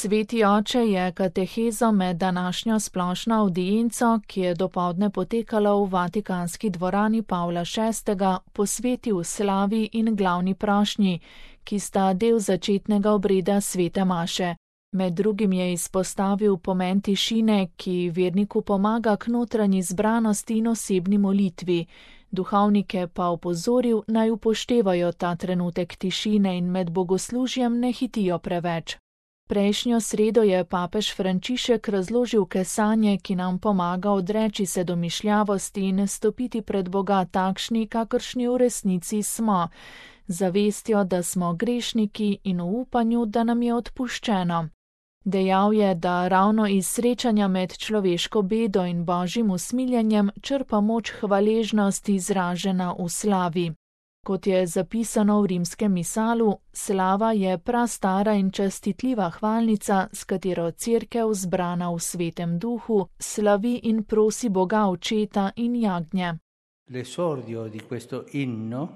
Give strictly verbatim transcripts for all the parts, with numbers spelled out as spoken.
Sveti oče je katehezo med današnjo splošno avdienco, ki je dopoldne potekala v Vatikanski dvorani Pavla šestega, posvetil slavi in glavni prošnji, ki sta del začetnega obreda svete maše. Med drugim je izpostavil pomen tišine, ki verniku pomaga k notranji zbranosti in osebni molitvi. Duhovnike pa opozoril, naj upoštevajo ta trenutek tišine in med bogoslužjem ne hitijo preveč. Prejšnjo sredo je papež Frančišek razložil kesanje, ki nam pomaga odreči se domišljavosti in stopiti pred Boga takšni, kakršni v resnici smo, zavestjo, da smo grešniki in v upanju, da nam je odpuščeno. Dejal je, da ravno iz srečanja med človeško bedo in božjim usmiljenjem črpa moč hvaležnost izražena v slavi. Kot je zapisano v rimskem misalu, slava je prastara in častitljiva hvalnica, s katero cerkev zbrana v svetem duhu slavi in prosi Boga očeta in jagnje. L'esordio di questo inno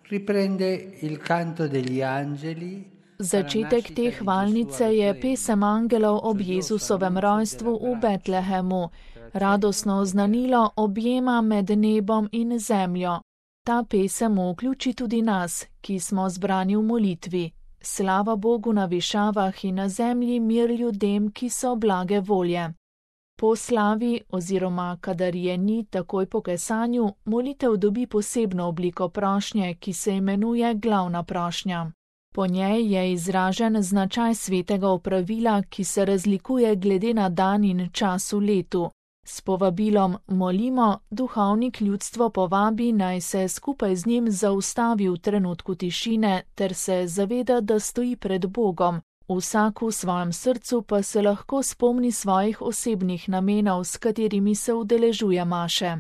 riprende il canto degli angeli. Začetek te hvalnice je pesem angelov ob Jezusovem rojstvu v Betlehemu, radostno oznanilo objema med nebom in zemljo. Ta pesem vključi tudi nas, ki smo zbrani v molitvi. Slava Bogu na višavah in na zemlji mir ljudem, ki so blage volje. Po slavi oziroma kadar je ni takoj po kesanju, molitev dobi posebno obliko prošnje, ki se imenuje glavna prošnja. Po njej je izražen značaj svetega opravila, ki se razlikuje glede na dan in čas v letu. S povabilom molimo, duhovnik ljudstvo povabi, naj se skupaj z njim zaustavi v trenutku tišine ter se zaveda, da stoji pred Bogom. Vsak v svojem srcu pa se lahko spomni svojih osebnih namenov, s katerimi se udeležuje maše.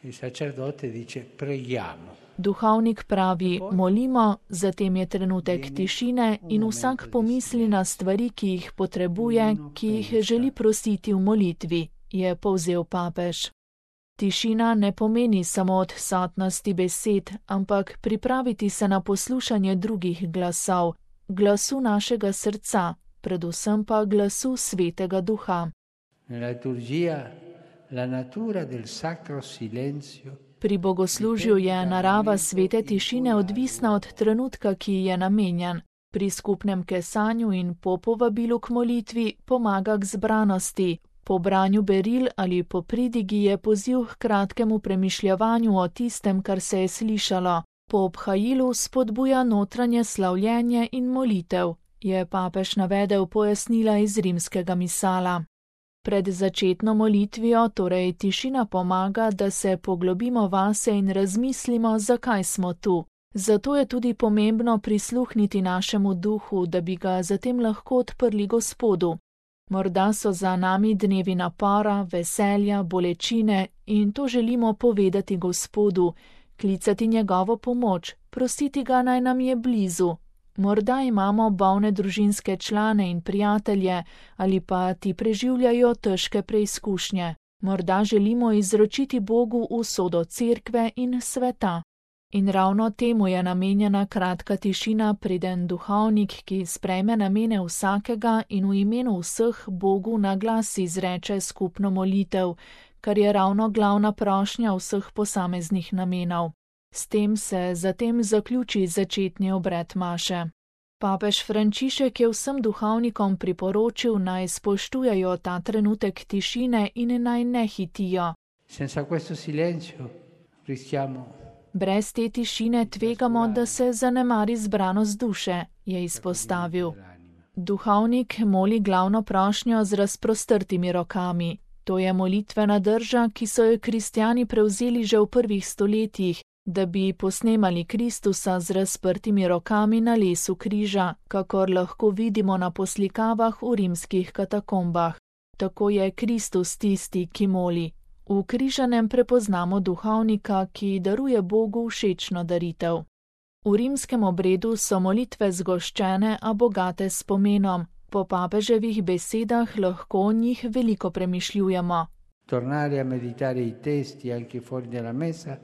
Il sacerdote dice preghiamo. Duhovnik pravi, molimo, zatem je trenutek tišine in vsak pomisli na stvari, ki jih potrebuje, ki jih želi prositi v molitvi, je povzel papež. Tišina ne pomeni samo odsotnosti besed, ampak pripraviti se na poslušanje drugih glasov, glasu našega srca, predvsem pa glasu svetega duha. Nella liturgia la natura del sacro silenzio. Pri bogoslužju je narava svete tišine odvisna od trenutka, ki je namenjen. Pri skupnem kesanju in po povabilu k molitvi pomaga k zbranosti. Po branju beril ali po pridigi je poziv k kratkemu premišljevanju o tistem, kar se je slišalo. Po obhajilu spodbuja notranje slavljenje in molitev, je papež navedel pojasnila iz rimskega misala. Pred začetno molitvijo torej tišina pomaga, da se poglobimo vase in razmislimo, zakaj smo tu. Zato je tudi pomembno prisluhniti našemu duhu, da bi ga zatem lahko odprli Gospodu. Morda so za nami dnevi napora, veselja, bolečine in to želimo povedati Gospodu, klicati njegovo pomoč, prositi ga, naj nam je blizu. Morda imamo bolne družinske člane in prijatelje ali pa ti preživljajo težke preizkušnje. Morda želimo izročiti Bogu usodo cerkve in sveta. In ravno temu je namenjena kratka tišina, preden duhovnik, ki sprejme namene vsakega in v imenu vseh Bogu na glas izreče skupno molitev, kar je ravno glavna prošnja vseh posameznih namenov. S tem se zatem zaključi začetni obred maše. Papež Frančišek je vsem duhovnikom priporočil, naj spoštujejo ta trenutek tišine in naj ne hitijo. Senza questo silenzio rischiamo. Brez te tišine tvegamo, da se zanemari zbranost duše, je izpostavil. Duhovnik moli glavno prošnjo z razprostrtimi rokami. To je molitvena drža, ki so jo kristjani prevzeli že v prvih stoletjih, da bi posnemali Kristusa z razprtimi rokami na lesu križa, kakor lahko vidimo na poslikavah v rimskih katakombah. Tako je Kristus tisti, ki moli. V križanem prepoznamo duhovnika, ki daruje Bogu všečno daritev. V rimskem obredu so molitve zgoščene, a bogate s pomenom. Po papeževih besedah lahko o njih veliko premišljujemo. Tornare a meditare i testi anche fuori dalla messa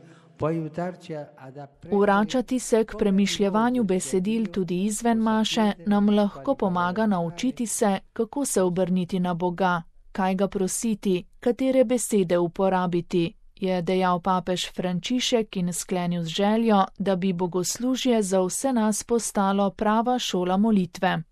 Vračati se k premišljevanju besedil tudi izven maše nam lahko pomaga naučiti se, kako se obrniti na Boga, kaj ga prositi, katere besede uporabiti, je dejal papež Frančišek in sklenil z željo, da bi bogoslužje za vse nas postalo prava šola molitve.